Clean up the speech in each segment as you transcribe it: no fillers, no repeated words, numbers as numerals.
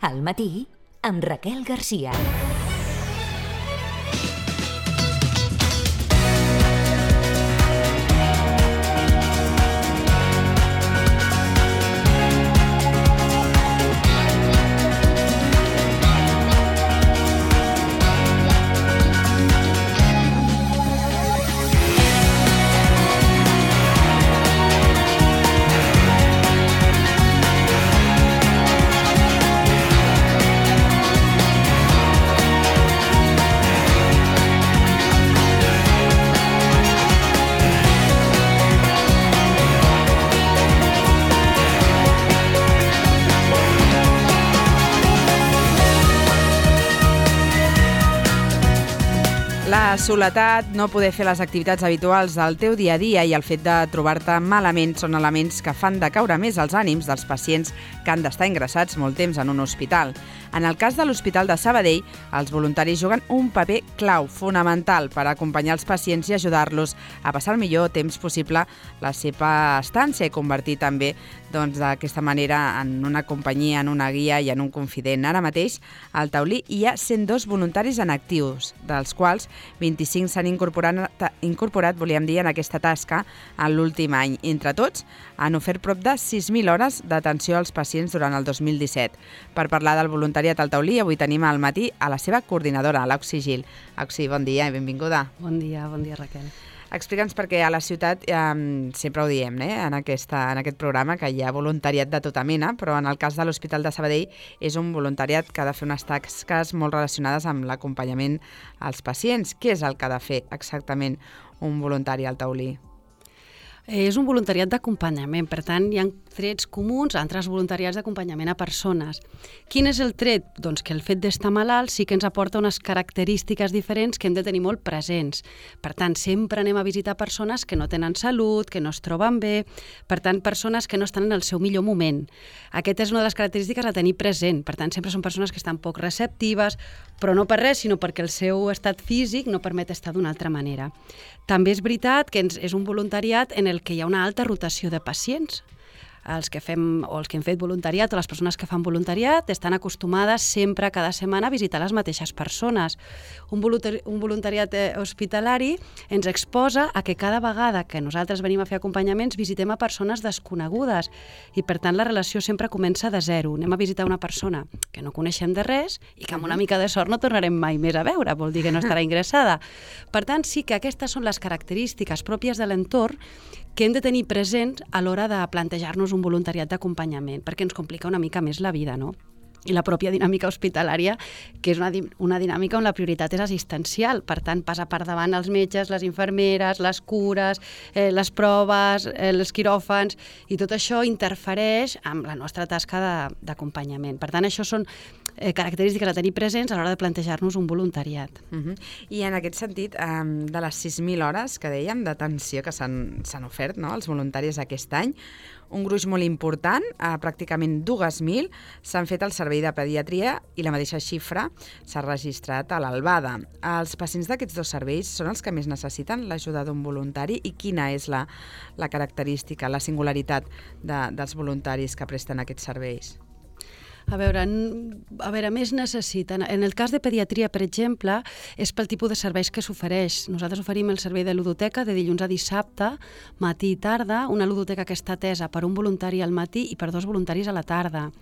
Al matí, amb Raquel Garcia. La soledat, no poder fer les activitats habituals del teu dia a dia i el fet de trobar-te malament són elements que fan decaure més els ànims dels pacients que han d'estar ingressats molt temps en un hospital. En el cas de l'Hospital de Sabadell, els voluntaris juguen un paper clau, fonamental, per acompanyar els pacients i ajudar-los a passar el millor temps possible la seva estància i convertir també d'aquesta manera en una companyia, en una guia i en un confident. Ara mateix, al Taulí hi ha 102 voluntaris en actius, dels quals 25 s'han incorporat, volíem dir, en aquesta tasca en l'últim any. Entre tots, han ofert prop de 6.000 hores d'atenció als pacients durant el 2017. Per parlar del voluntariat al Taulí, avui tenim al matí a la seva coordinadora, l'Auxi Gil. Auxi, bon dia i benvinguda. Bon dia, Raquel. Explica'ns perquè a la ciutat sempre ho diem, en aquest programa, que hi ha voluntariat de tota mena, però en el cas de l'Hospital de Sabadell és un voluntariat que ha de fer unes tasques molt relacionades amb l'acompanyament als pacients. Què és el que ha de fer exactament un voluntari al Taulí? És un voluntariat d'acompanyament, per tant, hi ha trets comuns a altres voluntariats d'acompanyament a persones. Quin és el tret? Doncs que el fet d'estar malalt sí que ens aporta unes característiques diferents que hem de tenir molt presents. Per tant, sempre anem a visitar persones que no tenen salut, que no es troben bé, per tant, persones que no estan en el seu millor moment. Aquesta és una de les característiques a tenir present. Per tant, sempre són persones que estan poc receptives, però no per res, sinó perquè el seu estat físic no permet estar d'una altra manera. També és veritat que és un voluntariat en el que hi ha una alta rotació de pacients. Els que hem fet voluntariat o les persones que fan voluntariat estan acostumades sempre, cada setmana, a visitar les mateixes persones. Un voluntariat hospitalari ens exposa a que cada vegada que nosaltres venim a fer acompanyaments visitem a persones desconegudes i, per tant, la relació sempre comença de zero. Anem a visitar una persona que no coneixem de res i que amb una mica de sort no tornarem mai més a veure, vol dir que no estarà ingressada. Per tant, sí que aquestes són les característiques pròpies de l'entorn que hem de tenir presents a l'hora de plantejar-nos un voluntariat d'acompanyament, perquè ens complica una mica més la vida, no? I la pròpia dinàmica hospitalària, que és una dinàmica on la prioritat és assistencial, per tant, passa per davant els metges, les infermeres, les cures, les proves, els quiròfans, i tot això interfereix amb la nostra tasca d'acompanyament. Per tant, això són característiques a tenir presents a l'hora de plantejar-nos un voluntariat. I en aquest sentit, de les 6.000 hores que dèiem d'atenció que s'han ofert als voluntaris aquest any, un gruix molt important, pràcticament 2.000, s'han fet al servei de pediatria i la mateixa xifra s'ha registrat a l'Albada. Els pacients d'aquests dos serveis són els que més necessiten l'ajuda d'un voluntari i quina és la característica, la singularitat dels voluntaris que presten aquests serveis? A veure, més necessiten. En el cas de pediatria, per exemple, és pel tipus de serveis que s'ofereix. Nosaltres oferim el servei de ludoteca de dilluns a dissabte, matí i tarda, una ludoteca que està atesa per un voluntari al matí i per 2 voluntaris a la tarda.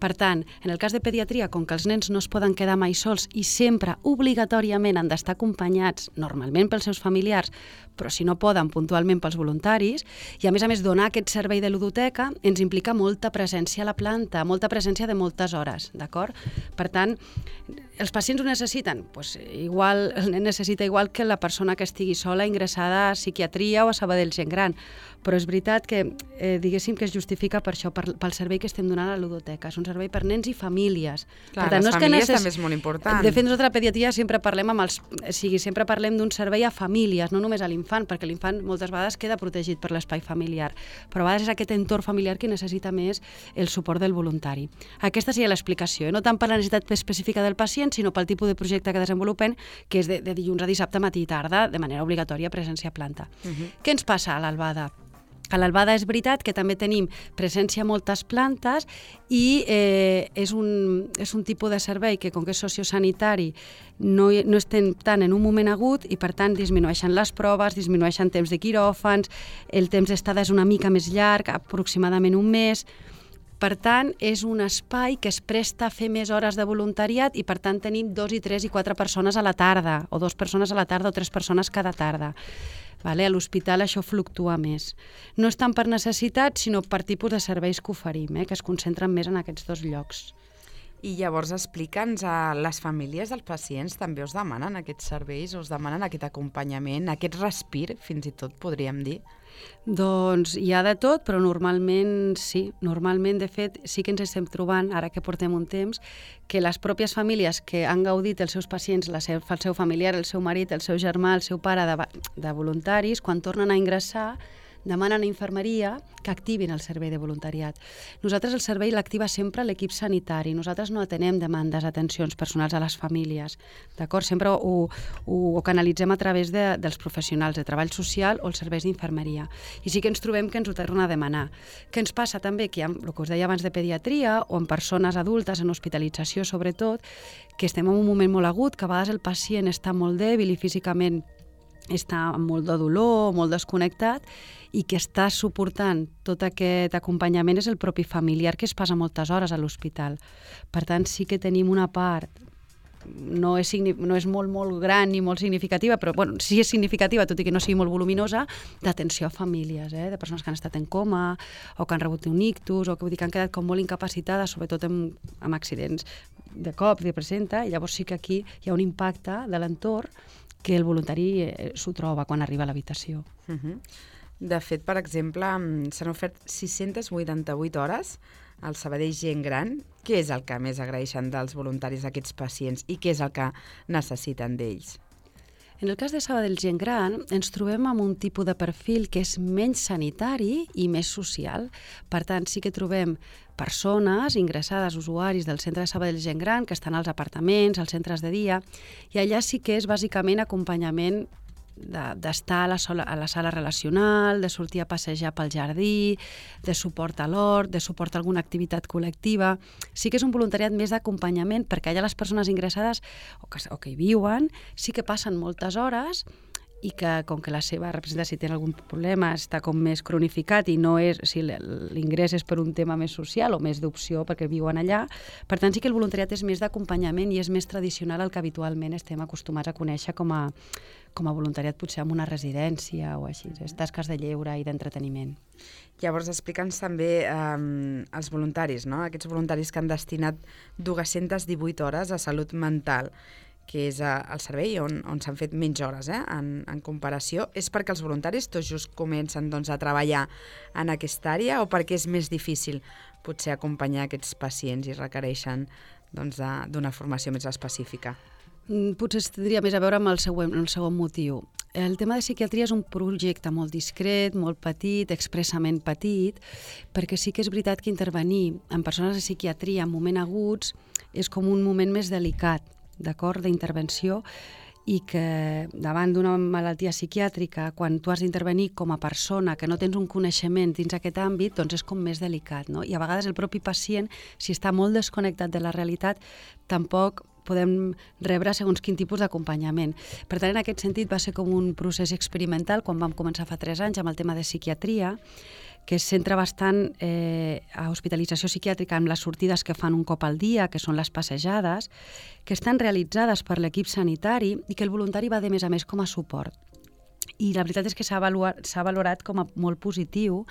Per tant, en el cas de pediatria, com que els nens no es poden quedar mai sols i sempre, obligatòriament, han d'estar acompanyats, normalment pels seus familiars, però si no poden, puntualment pels voluntaris, i a més, donar aquest servei de ludoteca ens implica molta presència a la planta, molta presència de moltes hores, d'acord? Per tant, els pacients ho necessiten? Igual, el nen necessita igual que la persona que estigui sola ingressada a psiquiatria o a Sabadell Gent Gran, però és veritat que diguéssim que es justifica per això, pel servei que estem donant a la ludoteca. És un servei per nens i famílies. Clar, per tant, les famílies també és molt important. De fet, nosaltres a la pediatria sempre parlem d'un servei a famílies, no només a l'infant, perquè l'infant moltes vegades queda protegit per l'espai familiar, però a vegades és aquest entorn familiar que necessita més el suport del voluntari. Aquesta seria l'explicació, no tant per la necessitat específica del pacient, sinó pel tipus de projecte que desenvolupem, que és de dilluns a dissabte, matí i tarda, de manera obligatòria, presència a planta. Què ens passa a l'Albada? A l'Albada és veritat que també tenim presència a moltes plantes i és un tipus de servei que, com que és sociosanitari, no estem tant en un moment agut i, per tant, disminueixen les proves, disminueixen temps de quiròfans, el temps d'estada és una mica més llarg, aproximadament un mes. Per tant, és un espai que es presta a fer més hores de voluntariat i, per tant, tenim 2 i 3 i 4 persones a la tarda, o 2 persones a la tarda o 3 persones cada tarda. A l'hospital això fluctua més. No és tant per necessitat, sinó per tipus de serveis que oferim, que es concentren més en aquests 2 llocs. I llavors explica'ns, a les famílies dels pacients també us demanen aquests serveis, us demanen aquest acompanyament, aquest respir, fins i tot podríem dir? Doncs hi ha de tot, però normalment sí. Normalment, de fet, sí que ens estem trobant, ara que portem un temps, que les pròpies famílies que han gaudit els seus pacients, el seu familiar, el seu marit, el seu germà, el seu pare de voluntaris, quan tornen a ingressar, demanen a infermeria que activin el servei de voluntariat. Nosaltres el servei l'activa sempre l'equip sanitari. Nosaltres no atenem demandes, atencions personals a les famílies. D'acord? Sempre ho canalitzem a través dels professionals de treball social o els serveis d'infermeria. I sí que ens trobem que ens ho tornen a demanar. Què ens passa també? Que hi ha el que us deia abans de pediatria o en persones adultes, en hospitalització sobretot, que estem en un moment molt agut, que a vegades el pacient està molt dèbil i físicament està amb molt de dolor, molt desconnectat, i que està suportant tot aquest acompanyament és el propi familiar, que es passa moltes hores a l'hospital. Per tant, sí que tenim una part, no és molt gran ni molt significativa, però sí és significativa, tot i que no sigui molt voluminosa, d'atenció a famílies, de persones que han estat en coma, o que han rebut un ictus, o que han quedat com molt incapacitades, sobretot amb accidents de cop, de presenta, i llavors sí que aquí hi ha un impacte de l'entorn que el voluntari s'ho troba quan arriba a l'habitació. De fet, per exemple, s'han ofert 688 hores al Sabadell Gent Gran. Què és el que més agraeixen dels voluntaris d'aquests pacients i què és el que necessiten d'ells? En el cas de Sabadell Gent Gran ens trobem amb un tipus de perfil que és menys sanitari i més social. Per tant, sí que trobem persones ingressades, usuaris del centre de Sabadell Gent Gran, que estan als apartaments, als centres de dia, i allà sí que és bàsicament acompanyament d'estar a la sala relacional, de sortir a passejar pel jardí, de suport a l'hort, de suport a alguna activitat col·lectiva. Sí que és un voluntariat més d'acompanyament, perquè allà les persones ingressades o que hi viuen sí que passen moltes hores i que, com que la seva representació, si té algun problema, està com més cronificat i no és, si l'ingrés és per un tema més social o més d'opció perquè viuen allà, per tant sí que el voluntariat és més d'acompanyament i és més tradicional al que habitualment estem acostumats a conèixer com a voluntariat potser en una residència o així, tasques de lleure i d'entreteniment. Llavors, explica'ns també els voluntaris, no? Aquests voluntaris que han destinat 218 hores a salut mental, que és el servei on s'han fet menys hores en comparació. És perquè els voluntaris tots just comencen a treballar en aquesta àrea o perquè és més difícil potser acompanyar aquests pacients i requereixen d'una formació més específica? Potser tindria més a veure amb el segon motiu. El tema de psiquiatria és un projecte molt discret, molt petit, expressament petit, perquè sí que és veritat que intervenir en persones de psiquiatria en moments aguts és com un moment més delicat, d'acord, d'intervenció, i que davant d'una malaltia psiquiàtrica, quan tu has d'intervenir com a persona que no tens un coneixement dins aquest àmbit, doncs és com més delicat, no? I a vegades el propi pacient, si està molt desconnectat de la realitat, tampoc podem rebre segons quin tipus d'acompanyament. Per tant, en aquest sentit va ser com un procés experimental quan vam començar fa 3 anys amb el tema de psiquiatria, que es centra bastant a hospitalització psiquiàtrica amb les sortides que fan un cop al dia, que són les passejades, que estan realitzades per l'equip sanitari i que el voluntari va de més a més com a suport. I la veritat és que s'ha valorat com a molt positiu,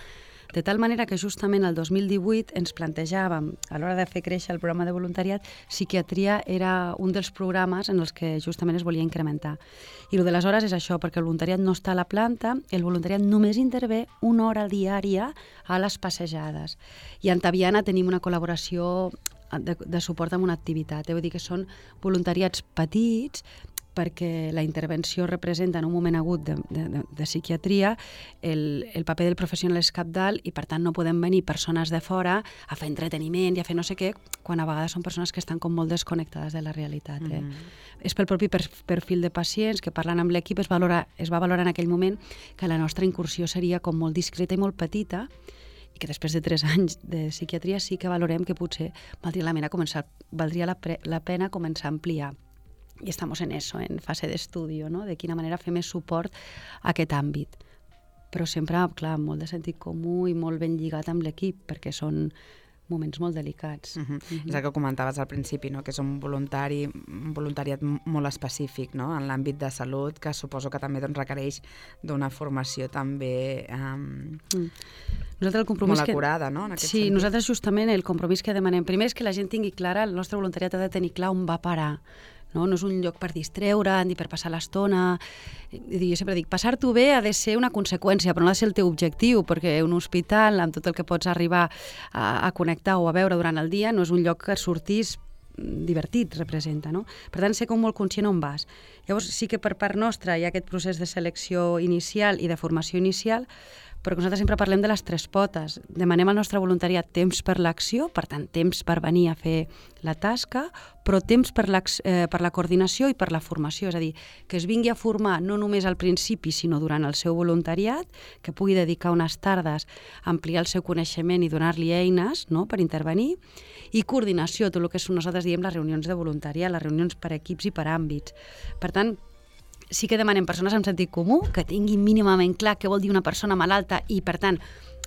de tal manera que justament el 2018 ens plantejàvem, a l'hora de fer créixer el programa de voluntariat, psiquiatria era un dels programes en els que justament es volia incrementar. I el de les hores és això, perquè el voluntariat no està a la planta, el voluntariat només intervé 1 hora diària a les passejades. I en Taviana tenim una col·laboració de suport amb una activitat. Vull dir que són voluntariats petits, perquè la intervenció representa en un moment agut de psiquiatria, el paper del professional és cabdal i per tant no podem venir persones de fora a fer entreteniment i a fer no sé què, quan a vegades són persones que estan com molt desconnectades de la realitat. És pel propi perfil de pacients que parlant amb l'equip es va valorar en aquell moment que la nostra incursió seria com molt discreta i molt petita i que després de 3 anys de psiquiatria sí que valorem que potser valdria la pena començar a ampliar. I estamos en eso, en fase d'estudi, no? De quina manera fer més suport a aquest àmbit. Però sempre, clar, molt de sentit comú i molt ben lligat amb l'equip, perquè són moments molt delicats. És el que comentaves al principi, no? Que és un voluntariat molt específic, no? En l'àmbit de salut, que suposo que també requereix d'una formació també molt acurada, no? En aquest sentit. Nosaltres justament el compromís que demanem primer és que la gent tingui clara, el nostre voluntariat ha de tenir clar on va parar. No és un lloc per distreure'n ni per passar l'estona. Jo sempre dic, passar-t'ho bé ha de ser una conseqüència, però no ha de ser el teu objectiu, perquè un hospital, amb tot el que pots arribar a connectar o a veure durant el dia, no és un lloc que sortís divertit, representa, no? Per tant, ser com molt conscient on vas. Llavors, sí que per part nostra hi ha aquest procés de selecció inicial i de formació inicial, però nosaltres sempre parlem de les 3 potes. Demanem al nostre voluntariat temps per l'acció, per tant, temps per venir a fer la tasca, però temps per la coordinació i per la formació, és a dir, que es vingui a formar no només al principi, sinó durant el seu voluntariat, que pugui dedicar unes tardes a ampliar el seu coneixement i donar-li eines, no?, per intervenir, i coordinació, tot el que nosaltres diem les reunions de voluntariat, les reunions per equips i per àmbits. Per tant, sí que demanem persones amb sentit comú, que tinguin mínimament clar què vol dir una persona malalta i, per tant,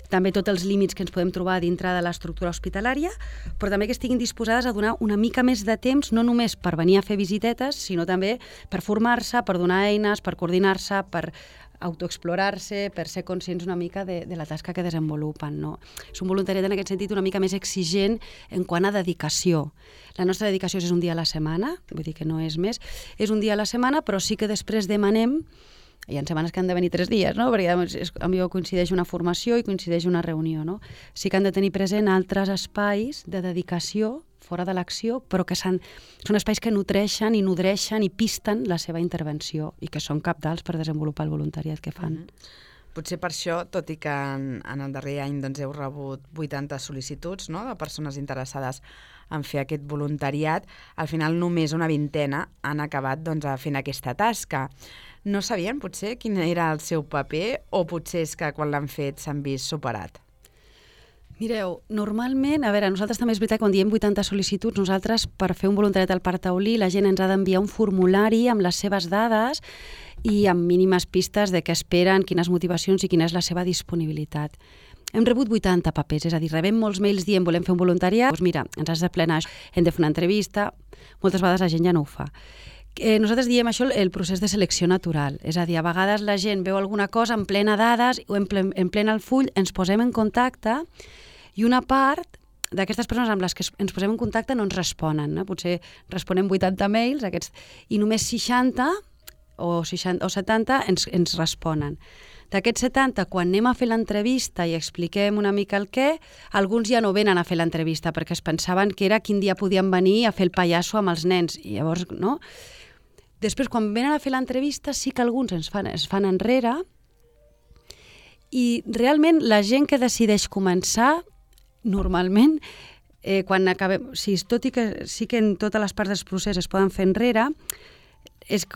també tots els límits que ens podem trobar dintre de l'estructura hospitalària, però també que estiguin disposades a donar una mica més de temps, no només per venir a fer visitetes, sinó també per formar-se, per donar eines, per coordinar-se, per autoexplorar-se, per ser conscients una mica de la tasca que desenvolupen, no? És un voluntariat en aquest sentit una mica més exigent en quant a dedicació. La nostra dedicació és un dia a la setmana, vull dir que no és més, és un dia a la setmana, però sí que després demanem, hi ha setmanes que han de venir 3 dies, no? Perquè a mi coincideix una formació i coincideix una reunió, no? Sí que han de tenir present altres espais de dedicació fora de l'acció, però que són espais que nodreixen i pisten la seva intervenció i que són cabdals per desenvolupar el voluntariat que fan. Potser per això, tot i que en el darrer any heu rebut 80 sol·licituds, no?, de persones interessades en fer aquest voluntariat, al final només una vintena han acabat fent aquesta tasca. No sabien potser quin era el seu paper o potser és que quan l'han fet s'han vist superat? Mireu, normalment, a veure, nosaltres també és veritat que quan diem 80 sol·licituds, nosaltres per fer un voluntariat al Parc Taulí la gent ens ha d'enviar un formulari amb les seves dades i amb mínimes pistes de què esperen, quines motivacions i quina és la seva disponibilitat. Hem rebut 80 papers, és a dir, rebem molts mails dient volem fer un voluntariat, doncs mira, ens has de plenar això, hem de fer una entrevista, moltes vegades la gent ja no ho fa. Nosaltres diem això el procés de selecció natural, és a dir, a vegades la gent veu alguna cosa en plena dades o en plena el full, ens posem en contacte i una part d'aquestes persones amb les que ens posem en contacte no ens responen, no? Potser responem 80 mails i només 60 o 70 ens responen. D'aquests 70, quan anem a fer l'entrevista i expliquem una mica el què, alguns ja no venen a fer l'entrevista perquè es pensaven que era quin dia podien venir a fer el pallasso amb els nens. I llavors, no? Després, quan venen a fer l'entrevista, sí que alguns es fan enrere i realment la gent que decideix començar, normalment, quan acabem, tot i que sí que en totes les parts del procés es poden fer enrere,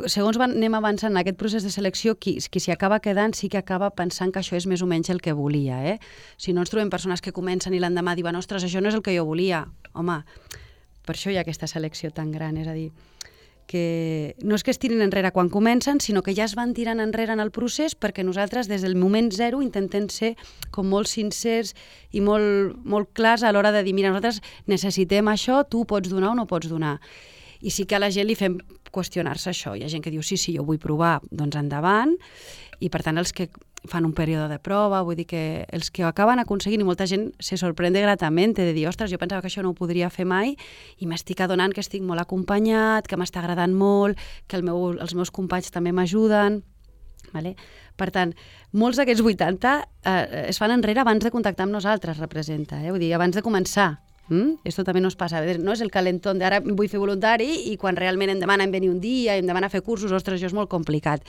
segons anem avançant en aquest procés de selecció, qui s'hi acaba quedant sí que acaba pensant que això és més o menys el que volia. Si no ens trobem persones que comencen i l'endemà diuen ostres, això no és el que jo volia. Home, per això hi ha aquesta selecció tan gran, és a dir, que no és que es tirin enrere quan comencen, sinó que ja es van tirant enrere en el procés perquè nosaltres des del moment zero intentem ser com molt sincers i molt clars a l'hora de dir mira, nosaltres necessitem això, tu pots donar o no pots donar. I sí que a la gent li fem qüestionar-se això. Hi ha gent que diu sí, jo vull provar, doncs endavant, i per tant els que fan un període de prova, vull dir que els que ho acaben aconseguint, i molta gent se sorprende gratament de dir, ostres, jo pensava que això no ho podria fer mai i m'estic adonant que estic molt acompanyat, que m'està agradant molt, que els meus companys també m'ajuden. Vale? Per tant, molts d'aquests 80 es fan enrere abans de contactar amb nosaltres, representa. Vull dir, abans de començar Esto també nos passa, no és el calentón d'ara vull fer voluntari i quan realment em demanen venir un dia i em demanen fer cursos, ostres, això és molt complicat.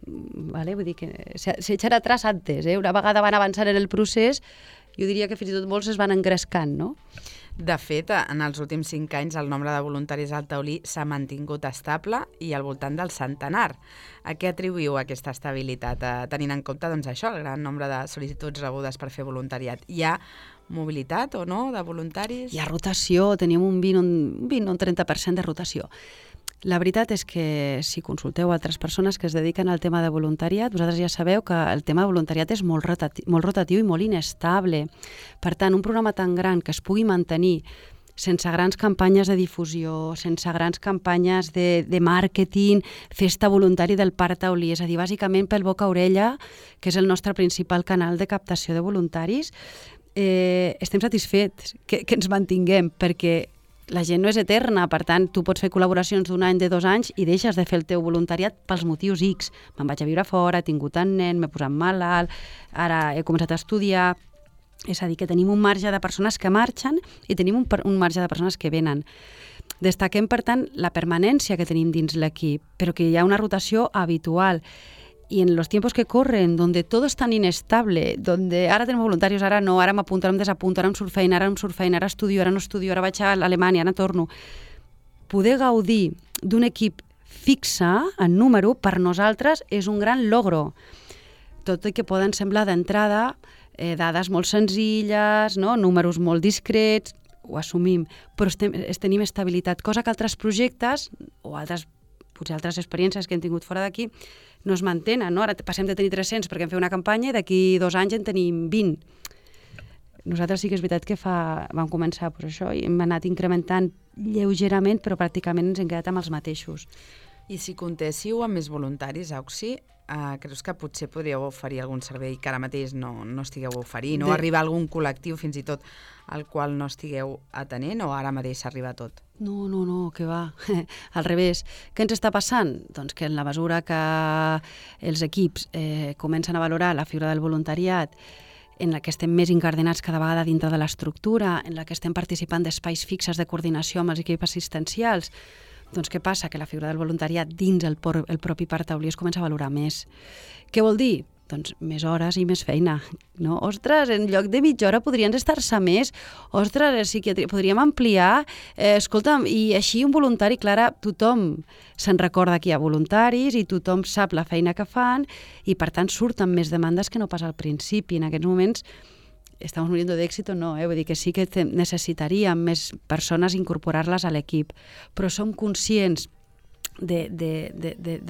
Vale? Vull dir que s'echar atrás antes, una vegada van avançant en el procés, jo diria que fins i tot molts es van engrescant, no? De fet, en els últims 5 anys el nombre de voluntaris al taulí s'ha mantingut estable i al voltant del centenar. A què atribuïu aquesta estabilitat, tenint en compte doncs, això, el gran nombre de sol·licituds rebudes per fer voluntariat? Hi ha mobilitat o no de voluntaris? Hi ha rotació, tenim un 20 o un 30% de rotació. La veritat és que si consulteu altres persones que es dediquen al tema de voluntariat, vosaltres ja sabeu que el tema de voluntariat és molt rotatiu i molt inestable. Per tant, un programa tan gran que es pugui mantenir sense grans campanyes de difusió, sense grans campanyes de màrqueting, festa voluntari del Parc Taulí, és a dir, bàsicament pel boca a orella, que és el nostre principal canal de captació de voluntaris, estem satisfets que ens mantinguem, perquè la gent no és eterna, per tant, tu pots fer col·laboracions d'1 any, de 2 anys i deixes de fer el teu voluntariat pels motius X. Me'n vaig a viure fora, he tingut un nen, m'he posat malalt, ara he començat a estudiar. És a dir, que tenim un marge de persones que marxen i tenim un marge de persones que venen. Destaquem, per tant, la permanència que tenim dins l'equip, però que hi ha una rotació habitual. Y en los tiempos que corren, donde todo es tan inestable, donde ara tenim voluntaris, ara no, ara m'apunto, ara em desapunto, ara em surt feina, ara estudio, ara no estudio, ara vaig a Alemanya, ara torno. Poder gaudir d'un equip fixe en número per nosaltres és un gran logro. Tot i que poden semblar d'entrada dades molt senzilles, no? Números molt discrets, ho assumim, però tenim estabilitat, cosa que altres projectes o potser altres experiències que hem tingut fora d'aquí no es mantenen, no? Ara passem de tenir 300 perquè hem fet una campanya i d'aquí 2 anys en tenim 20. Nosaltres sí que és veritat que vam començar per això i hem anat incrementant lleugerament, però pràcticament ens hem quedat amb els mateixos. I si comptéssiu amb més voluntaris, Auxi, creus que potser podríeu oferir algun servei que ara mateix no estigueu oferint o arribar a algun col·lectiu fins i tot al qual no estigueu atenent o ara mateix s'arriba a tot? No, que va. Al revés. Què ens està passant? Doncs que en la mesura que els equips comencen a valorar la figura del voluntariat, en la que estem més incardinats cada vegada dintre de l'estructura, en la que estem participant d'espais fixes de coordinació amb els equips assistencials, doncs què passa? Que la figura del voluntariat dins el propi Parc Taulí es comença a valorar més. Què vol dir? Doncs més hores i més feina, no? Ostres, en lloc de mitja hora podrien estar-se més. Ostres, psiquiatria, podríem ampliar. Escolta'm, i així un voluntari, Clara, tothom se'n recorda que hi ha voluntaris i tothom sap la feina que fan i, per tant, surten més demandes que no pas al principi. En aquests moments estamos muriendo de éxito, no, vull dir que sí que necessitaríem més persones incorporar-les a l'equip, però som conscients de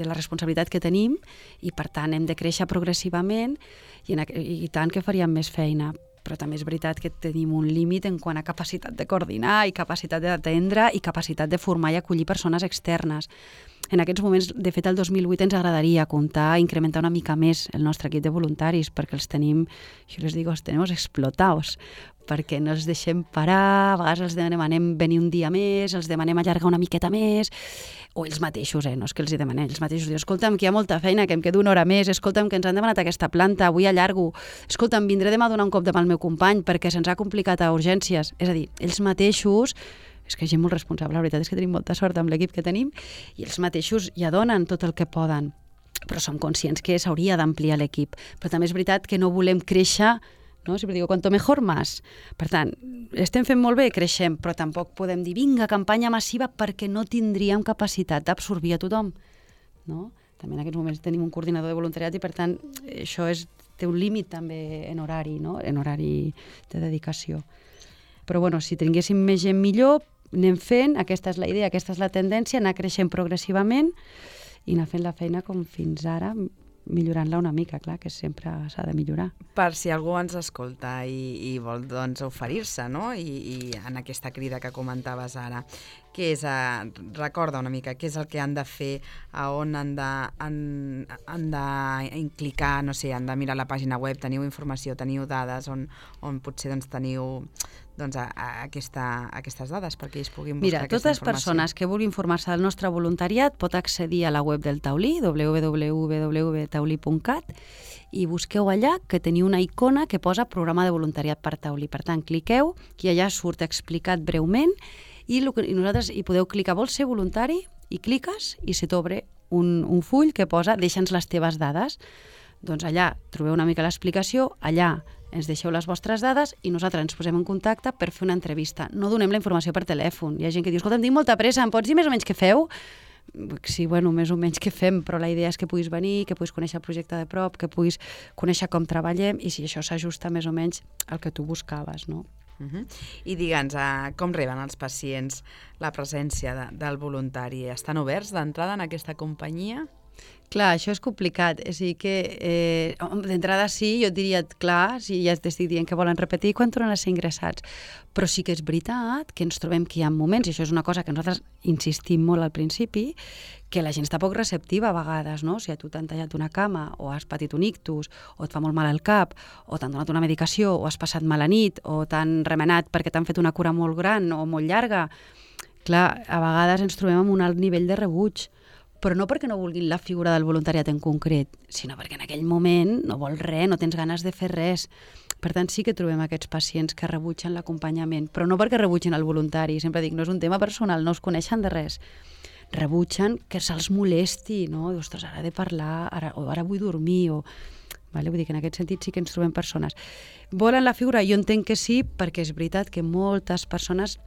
la responsabilitat que tenim i, per tant, hem de créixer progressivament i tant que faríem més feina. Però també és veritat que tenim un límit en quant a capacitat de coordinar i capacitat d'atendre i capacitat de formar i acollir persones externes. En aquests moments, de fet, el 2008 ens agradaria incrementar una mica més el nostre equip de voluntaris, perquè els tenim, jo les dic, els tenim explotados, perquè no els deixem parar, a vegades els demanem venir un dia més, els demanem allargar una miqueta més, o ells mateixos, no és que els hi demanem, ells mateixos diuen, escolta'm, que hi ha molta feina, que em quedo 1 hora més, escolta'm, que ens han demanat aquesta planta, avui allargo, escolta'm, vindré demà a donar un cop de mà al meu company perquè se'ns ha complicat a urgències. És a dir, ells mateixos, és que gent molt responsable, la veritat és que tenim molta sort amb l'equip que tenim, i ells mateixos ja donen tot el que poden, però som conscients que s'hauria d'ampliar l'equip. Però també és veritat que no volem créixer, no? Sempre digo, cuanto mejor más. Per tant, estem fent molt bé, creixem, però tampoc podem dir, vinga, campanya massiva, perquè no tindríem capacitat d'absorbir a tothom. No? També en aquests moments tenim un coordinador de voluntariat i, per tant, això té un límit també en horari, no? En horari de dedicació. Però, bueno, si tinguéssim més gent millor, anem fent, aquesta és la idea, aquesta és la tendència, anar creixent progressivament i anar fent la feina com fins ara, millorant-la una mica, clar, que sempre s'ha de millorar. Per si algú ens escolta i vol doncs, oferir-se, no? I en aquesta crida que comentaves ara, què és, recorda una mica, què és el que han de fer, a on han de clicar, no sé, han de mirar la pàgina web, teniu informació, teniu dades, on potser doncs, teniu aquestes dades perquè ells puguin buscar aquesta informació. Mira, totes persones que vulguin informar-se del nostre voluntariat pot accedir a la web del Taulí, www.taulí.cat, i busqueu allà que teniu una icona que posa programa de voluntariat per Taulí. Per tant, cliqueu, i allà surt explicat breument, i nosaltres hi podeu clicar, vols ser voluntari? I cliques i se t'obre un full que posa deixa'ns les teves dades. Doncs allà trobeu una mica l'explicació, allà ens deixeu les vostres dades i nosaltres ens posem en contacte per fer una entrevista. No donem la informació per telèfon. Hi ha gent que diu, escolta, em tinc molta pressa, em pots dir més o menys què feu? Sí, bueno, més o menys què fem, però la idea és que puguis venir, que puguis conèixer el projecte de prop, que puguis conèixer com treballem i si això s'ajusta més o menys al que tu buscaves, no? I digue'ns, com reben els pacients la presència del voluntari? Estan oberts d'entrada en aquesta companyia? Clar, això és complicat. És a dir, que d'entrada sí, jo et diria, clar, si ja t'estic dient que volen repetir, quan tornen a ser ingressats. Però sí que és veritat que ens trobem que hi ha moments, i això és una cosa que nosaltres insistim molt al principi, que la gent està poc receptiva a vegades, no? Si a tu t'han tallat una cama, o has patit un ictus, o et fa molt mal al cap, o t'han donat una medicació, o has passat mala nit, o t'han remenat perquè t'han fet una cura molt gran o molt llarga, clar, a vegades ens trobem amb un alt nivell de rebuig, però no perquè no vulguin la figura del voluntariat en concret, sinó perquè en aquell moment no vols res, no tens ganes de fer res. Per tant, sí que trobem aquests pacients que rebutgen l'acompanyament, però no perquè rebutgen el voluntari, sempre dic, no és un tema personal, no es coneixen de res. Rebutgen que se'ls molesti, no? Ostres, ara he de parlar, ara vull dormir, vale? Vull dir que en aquest sentit sí que ens trobem persones. Volen la figura? Jo entenc que sí, perquè és veritat que moltes persones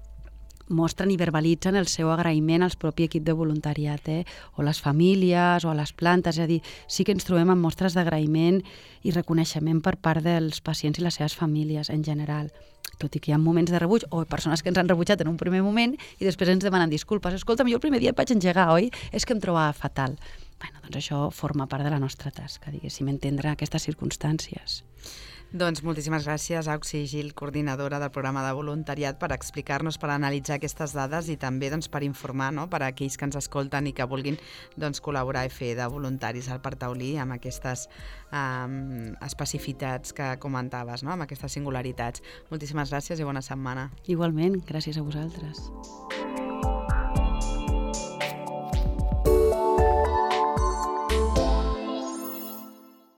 mostren i verbalitzen el seu agraïment al propi equip de voluntariat, o les famílies, o a les plantes, és a dir, sí que ens trobem amb mostres d'agraïment i reconeixement per part dels pacients i les seves famílies en general, tot i que hi ha moments de rebuig, o persones que ens han rebutjat en un primer moment i després ens demanen disculpes. Escolta'm, jo el primer dia et vaig engegar, oi? És que em trobava fatal. Bueno, doncs això forma part de la nostra tasca, diguéssim, entendre aquestes circumstàncies. Doncs moltíssimes gràcies, Auxi Gil, coordinadora del programa de voluntariat, per explicar-nos, per analitzar aquestes dades i també per informar, no?, per a aquells que ens escolten i que vulguin col·laborar i fer de voluntaris al Parc Taulí amb aquestes especificitats que comentaves, no?, amb aquestes singularitats. Moltíssimes gràcies i bona setmana. Igualment, gràcies a vosaltres.